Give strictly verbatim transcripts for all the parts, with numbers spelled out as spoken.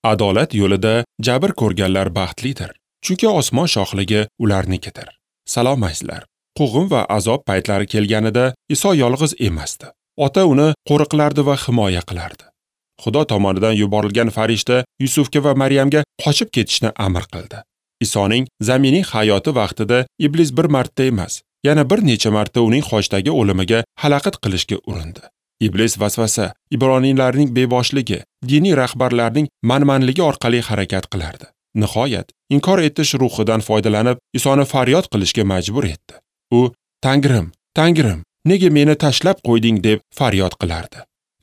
Adolat yo'lida jabr ko'rganlar baxtlidir, chunki osmon shohligi ularnikidir. Salom azizlar. Quvg'in va azob paytlari kelganida Iso yolg'iz emasdi. Ota uni qo'riqlardi va himoya qilardi. Xudo tomonidan yuborilgan farishta Yusufga va Maryamga qochib ketishni amr qildi. Isoning zaminiy hayoti vaqtida iblis bir marta emas, yana bir necha marta uning xochdagi o'limiga xalaqit qilishga urindi. Iblis vasvasa, ibroniylarning beboshligi, diniy rahbarlarning manmanligi orqali harakat qilardi. Nihoyat, inkor etish ruhidan foydalanib, Isoni faryod qilishga majbur etdi. U "Tangrim, Tangrim, nega meni tashlab qo'yding?" deb faryod qilardi.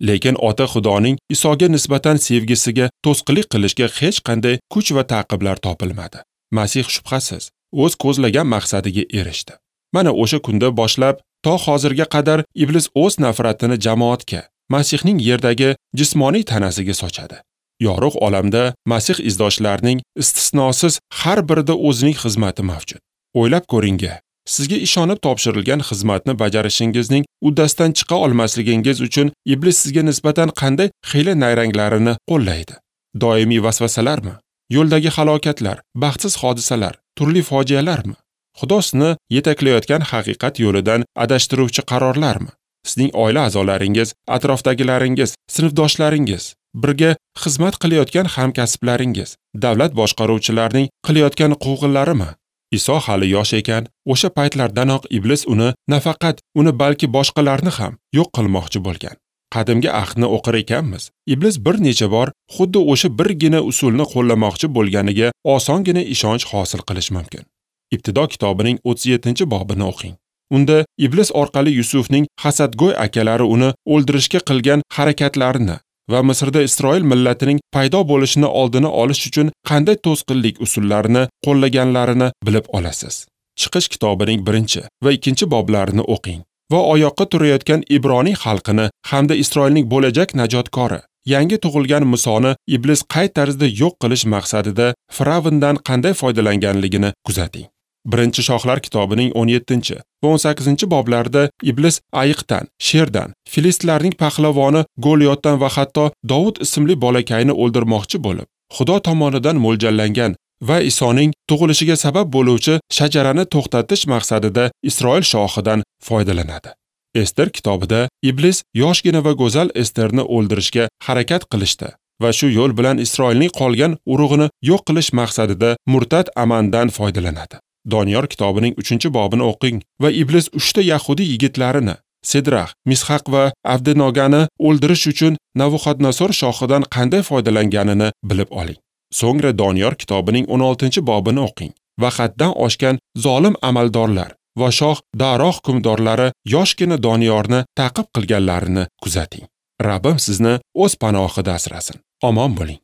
Lekin ota Xudoning Isoga nisbatan sevgisiga to'sqinlik qilishga hech qanday kuch va ta'qiblar topilmadi. Masih shubhasiz o'z ko'zlagan maqsadiga erishdi. Mana o'sha kunda boshlab to hozirga qadar iblis o'z nafratini jamoatga, Masihning yerdagi jismoniy tanasiga sochadi. Yorug' olamda Masih izdoshlarining istisnosiz har birida o'zining xizmati mavjud. O'ylab ko'ring-a, sizga ishonib topshirilgan xizmatni bajarishingizning uddasidan chiqa olmasligingiz uchun iblis sizga nisbatan qanday xiyla nayranglarini qo'llaydi. Doimiy vasvasalarmi? Yo'ldagi halokatlar, baxtsiz hodisalar, turli fojialarmi? Xudo sizni yetaklayotgan haqiqat yo'lidan adashtiruvchi qarorlarmi? Sizning oila a'zolaringiz, atrofdagilaringiz, sinfdoshlaringiz, birga xizmat qilayotgan hamkasblaringiz, davlat boshqaruvchilarining qilayotgan quvg'inlarimi? Iso hali yosh ekan, o'sha paytlardanoq iblis uni nafaqat uni balki boshqalarni ham yo'q qilmoqchi bo'lgan. Qadimgi ahdni o'qir ekanmiz, iblis bir necha bor xuddi o'sha birgina usulni qo'llamoqchi bo'lganiga osongina ishonch hosil qilish mumkin. Ibtido kitobining o'ttiz yettinchi bobini o'qing. Unda iblis orqali Yusufning hasadgo'y akalari uni o'ldirishga qilgan harakatlarini va Misrda Isroil millatining paydo bo'lishini oldini olish uchun qanday to'sqinlik usullarini qo'llaganlarini bilib olasiz. Chiqish kitobining birinchi va ikkinchi boblarini o'qing va oyoqqa turayotgan Ibroniy xalqini hamda Isroilning bo'lajak najotkori, yangi tug'ilgan Musoni iblis qay tarzda yo'q qilish maqsadida Firavndan qanday foydalanganligini kuzating. Birinchi Shohlar kitobining o'n yettinchi va o'n sakkizinchi boblarida iblis ayiqdan, sherdan, filistlarning pahlavoni Goliyotdan va hatto Dovud ismli bolakayni o'ldirmoqchi bo'lib, Xudo tomonidan mo'ljallangan va Isoning tug'ilishiga sabab bo'luvchi shajarani to'xtatish maqsadida Isroil shohidan foydalanadi. Ester kitobida iblis yoshgina va go'zal Esterni o'ldirishga harakat qilishdi va shu yo'l bilan Isroilning qolgan urug'ini yo'q qilish maqsadida murtad Amandan foydalanadi. Doniyor kitobining uchinchi bobini o'qing va iblis uchta yahudi yigitlarini Sedrax, Mishaq va Avdenogani o'ldirish uchun Navuxodnosor shohidan qanday foydalanganini bilib oling. So'ngra Doniyor kitobining o'n oltinchi bobini o'qing va haddan oshgan zolim amaldorlar va shoh Daro hukmdorlari yoshgina Doniyorni ta'qib qilganlarini kuzating. Rabbim sizni o'z panohida asrasin. Omon bo'ling.